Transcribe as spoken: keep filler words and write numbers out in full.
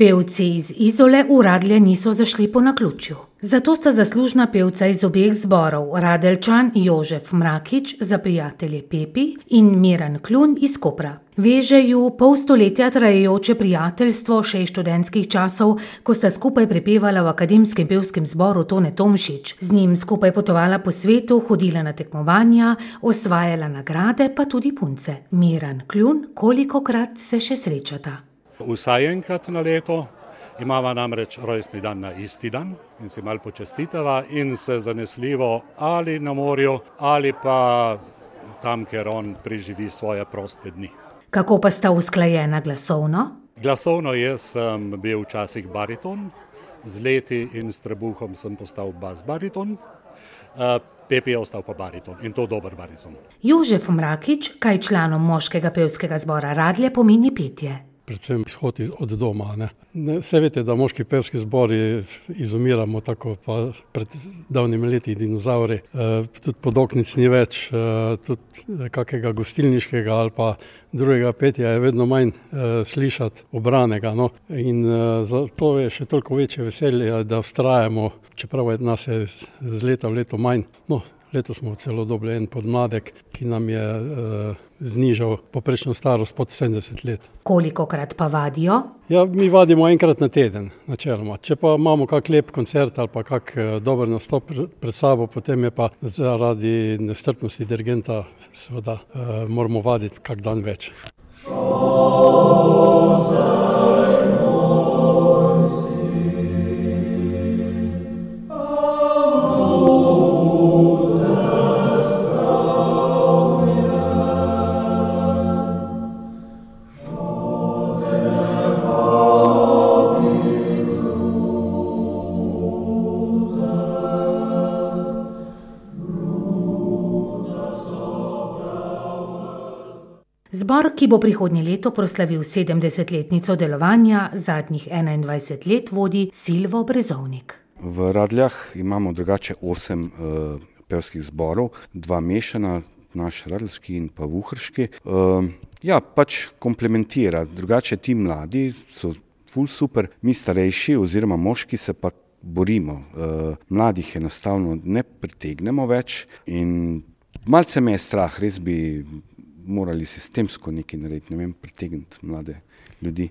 Pevci iz Izole v Radlje niso zašli po naključju. Zato sta zaslužna pevca iz obeh zborov, Radeljčan Jožef Mrakič za prijatelje Pepi in Miran Klun iz Kopra. Veže ju pol stoletja trajajoče prijateljstvo še iz študentskih časov, ko sta skupaj prepevala v akademskem pevskem zboru Tone Tomšič. Z njim skupaj potovala po svetu, hodila na tekmovanja, osvajala nagrade, pa tudi punce. Miran Klun, kolikokrat se še srečata? Vsaj enkrat na leto. Imava namreč rojstni dan na isti dan in si malo počestitava in se zanesljivo ali na morju ali pa tam, ker on preživi svoje proste dni. Kako pa sta usklajena glasovno? Glasovno jaz sem bil včasih bariton, z leti in s trebuhom sem postal bas bariton, Pepi je ostal pa bariton in to dober bariton. Jožef Mrakič, kaj članom moškega pevskega zbora Radlje pomeni petje? Predvsem izhod od doma. Ne. Vse veste, da moški pevski zbori izumiramo tako pa pred davnimi leti dinozauri. E, tudi podoknic ni več, e, tudi kakega gostilniškega ali pa drugega petja je vedno manj e, slišati obranega. No. In e, zato je še toliko večje veselje, da vztrajamo, čeprav je nas je z leta v leto manj. No, letos smo celo dobili en podmladek, ki nam je e, znižal poprečno starost pod sedemdeset let. Kolikokrat pa vadijo? Ja, mi vadimo enkrat na teden, načeloma. Če pa imamo kak lep koncert ali pa kak dober nastop pred sabo, potem je pa zaradi nestrpnosti dirigenta seveda eh, moramo vaditi kak dan več. Zbor, ki bo prihodnje leto proslavil sedemdesetletnico delovanja, zadnjih enaindvajset let vodi Silvo Brezovnik. V Radljah imamo drugače osem uh, pevskih zborov, dva mešana, naš radljski in pa vuhrški. Uh, ja, pač komplementira, drugače ti mladi so ful super, mi starejši oziroma moški se pa borimo. Uh, mladih enostavno ne pritegnemo več in malce me je strah, res bi morali sistemsko nekaj narediti, ne vem, pritegniti mlade ljudi.